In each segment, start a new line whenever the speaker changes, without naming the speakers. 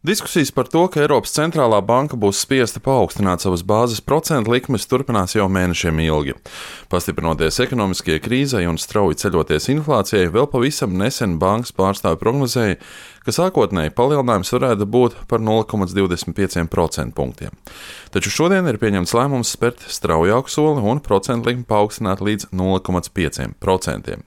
Diskusijas par to, ka Eiropas centrālā banka būs spiesta paaugstināt savas bāzes procentu likmes, turpinās jau mēnešiem ilgi. Pastiprinoties ekonomiskajai krīzei un strauji ceļoties inflācijai, vēl pavisam nesen bankas pārstāvi prognozēja, ka sākotnēji palielinājums varētu būt par 0,25% punktiem. Taču šodien ir pieņemts lēmums spērt straujāku soli un procentu likmi paaugstināt līdz 0,5%.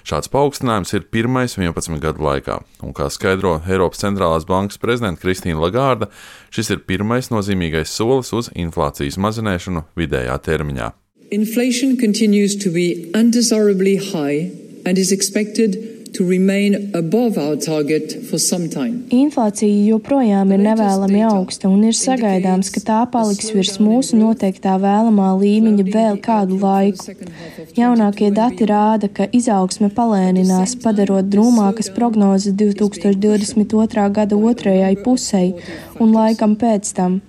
Šāds paaugstinājums ir pirmais 11 gadu laikā, un, kā skaidro Eiropas centrālās bankas prezidente Kristīna Lagārda, šis ir pirmais nozīmīgais solis uz inflācijas mazināšanu vidējā termiņā.
Inflation continues to be undesirably high and is expected to remain above our target for some time.
Inflācija joprojām ir nevēlami augsta un ir sagaidāms, ka tā paliks virs mūsu noteiktā vēlamā līmeņa vēl kādu laiku. Jaunākie dati rāda, ka izaugsme palēninās, padarot drūmākas prognozes 2022. Gada otrajai pusei un laikam pēc tam.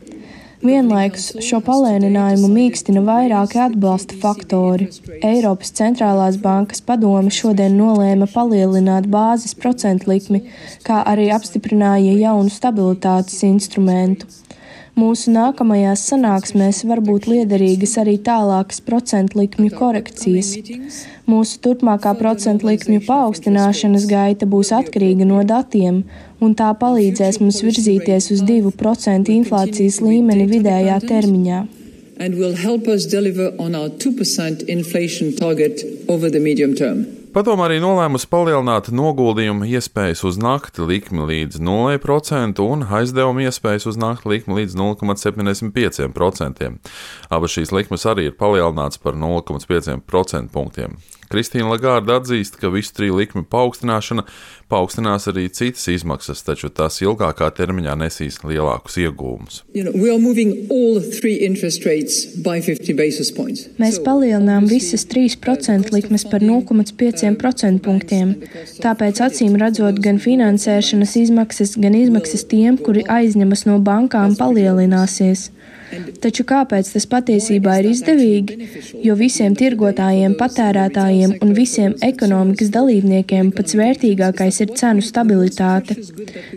Vienlaikus šo palēninājumu mīkstina vairāki atbalsta faktori. Eiropas centrālās bankas padome šodien nolēma palielināt bāzes procentu likmi, kā arī apstiprināja jaunu stabilitātes instrumentu. Mūsu nākamajās sanāksmēs var būt liederīgas arī tālākas procentu likmju korekcijas. Mūsu turpmākā procentu likmju paaugstināšanas gaita būs atkarīga no datiem, un tā palīdzēs mums virzīties uz 2% inflācijas līmeni vidējā termiņā.
And will help us deliver on our 2% inflation target over the medium term.
Padome arī nolēmusi palielināt noguldījumu iespējas uz nakti likmi līdz 0% un aizdevumu iespējas uz nakti likmi līdz 0,75%. Abas šīs likmes arī ir palielināts par 0,5% punktiem. Kristīna Lagārda atzīst, ka visu triju likmi paaugstināšana paaugstinās arī citas izmaksas, taču tās ilgākā termiņā nesīs lielākus iegūmus.
Mēs palielinām visas 3% likmes par 0,5% punktiem. Tāpēc acīm redzot gan finansēšanas izmaksas, gan izmaksas tiem, kuri aizņemas no bankām, palielināsies. Taču kāpēc tas patiesībā ir izdevīgi? Jo visiem tirgotājiem, patērētājiem un visiem ekonomikas dalībniekiem pats vērtīgākais ir cenu stabilitāte.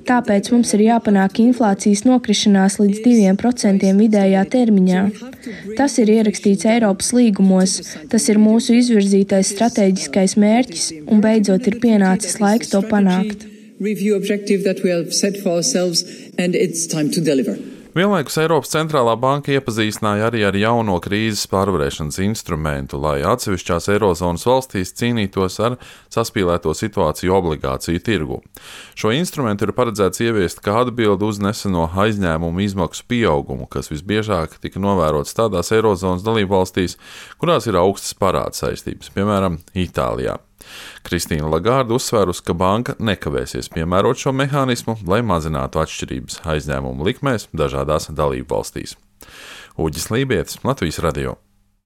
Tāpēc mums ir jāpanāk inflācijas nokrišanās līdz 2% vidējā termiņā. Tas ir ierakstīts Eiropas līgumos, tas ir mūsu izvirzītais stratēģiskais mērķis un beidzot ir pienācis laiks to panākt.
Vienlaikus Eiropas centrālā banka iepazīstināja arī ar jauno krīzes pārvarēšanas instrumentu, lai atsevišķās Eirozonas valstīs cīnītos ar saspīlēto situāciju obligāciju tirgu. Šo instrumentu ir paredzēts ieviest kā atbildi uz neseno aizņēmumu izmaksu pieaugumu, kas visbiežāk tika novērots tādās Eirozonas dalībvalstīs, kurās ir augstas parāda saistības, piemēram, Itālijā. Kristīna Lagārda uzsvērusi, ka banka nekavēsies piemērot šo mehānismu, lai mazinātu atšķirības aizņēmumu likmēs dažādās dalībvalstīs. Uģis Lībietis, Latvijas radio.